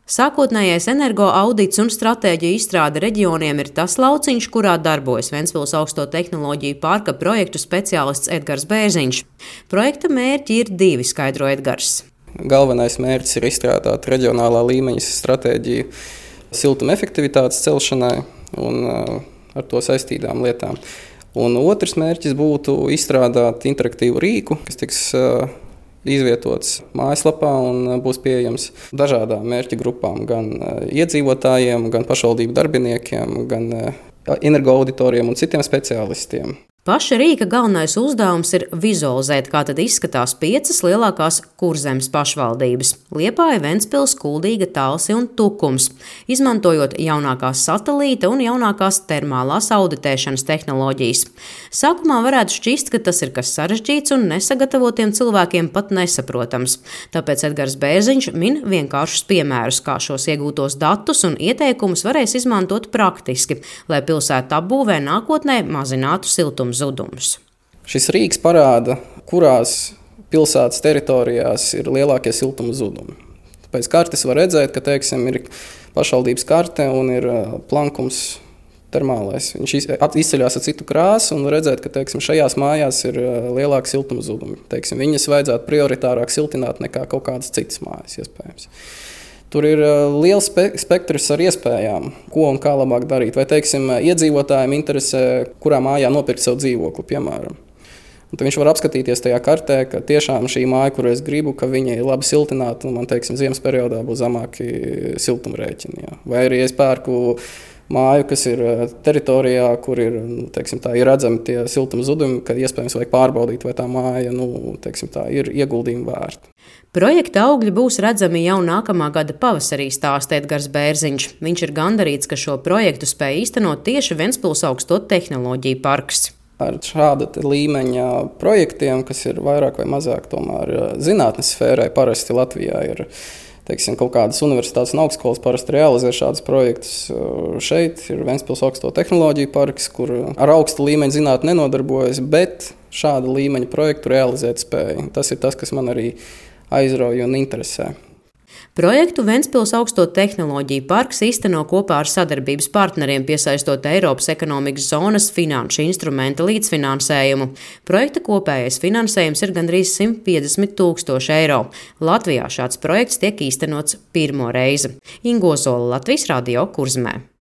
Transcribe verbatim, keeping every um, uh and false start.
Sākotnējais energo audits un stratēģiju izstrāde reģioniem ir tas lauciņš, kurā darbojas Ventspils augsto tehnoloģiju parka projektu speciālists Edgars Bērziņš. Projekta mērķi ir divi, skaidro Edgars. Galvenais mērķis ir izstrādāt reģionālā līmeņa stratēģiju siltuma efektivitātes celšanai un ar to saistītām lietām. Un otrs mērķis būtu izstrādāt interaktīvu rīku, kas tiks izvietots mājaslapā un būs pieejams dažādām mērķa grupām, gan iedzīvotājiem, gan pašvaldību darbiniekiem, gan energoauditoriem un citiem speciālistiem. Paša rīka galvenais uzdevums ir vizualizēt, kā tad izskatās piecas lielākās Kurzemes pašvaldības – Liepāja, Ventspils, Kuldīga, Talsi un Tukums, izmantojot jaunākās satelīta un jaunākās termālās auditēšanas tehnoloģijas. Sākumā varētu šķist, ka tas ir kas sarežģīts un nesagatavotiem cilvēkiem pat nesaprotams. Tāpēc Edgars Bērziņš min vienkāršus piemērus, kā šos iegūtos datus un ieteikumus varēs izmantot praktiski, lai pilsētu apbūvē nākotnē mazinātu siltumu zudumus. Šis rīks parāda, kurās pilsētas teritorijās ir lielākie siltuma zudumi. Pēc kartes var redzēt, ka, teiksim, ir pašvaldības karte un ir plankums termālais. Viņš izceļās ar citu krāsu un redzēt, ka, teiksim, šajās mājās ir lielāki siltuma zudumi. Teiksim, viņas vajadzētu prioritārāk siltināt nekā kaut kādas citas mājas, iespējams. Tur ir liels spe- spektrs ar iespējām, ko un kā labāk darīt. Vai, teiksim, iedzīvotājiem interesē, kurā mājā nopirkt savu dzīvokli, piemēram. Un tad viņš var apskatīties tajā kartē, ka tiešām šī māja, kuru es gribu, ka viņa ir labi siltināta, un man, teiksim, ziemas periodā būs zemāki siltumrēķini. Jā. Vai arī es pērku māju, kas ir teritorijā, kur ir, teiksim, tā, ir redzami tie siltuma zudumi, kad iespējams vajag pārbaudīt, vai tā māja, nu, teiksim, tā, ir ieguldījuma vērta. Projekta augļi būs redzami jau nākamā gada pavasarī, stāsta Edgars Bērziņš. Viņš ir gandarīts, ka šo projektu spēj īstenot tieši Ventspils augsto tehnoloģiju parks. Ar šāda līmeņa projektiem, kas ir vairāk vai mazāk tomēr zinātnes sfērai, parasti Latvijā ir, teiksim, kaut kādas universitātes un augstskolas parasti realizē šādus projektus. Šeit ir Ventspils augsto tehnoloģiju parks, kur ar augstu līmeņa zinātni nenodarbojas, bet šāda līmeņa projektu realizēt spēja. Tas ir tas, kas man arī aizrauja un interesē. Projektu Ventspils augsto tehnoloģiju parks īsteno kopā ar sadarbības partneriem, piesaistot Eiropas ekonomikas zonas finanšu instrumenta līdzfinansējumu. Projekta kopējais finansējums ir gandrīz simt piecdesmit tūkstoši eiro. Latvijā šāds projekts tiek īstenots pirmo reizi. Ingo Zola, Latvijas radio, Kurzemē.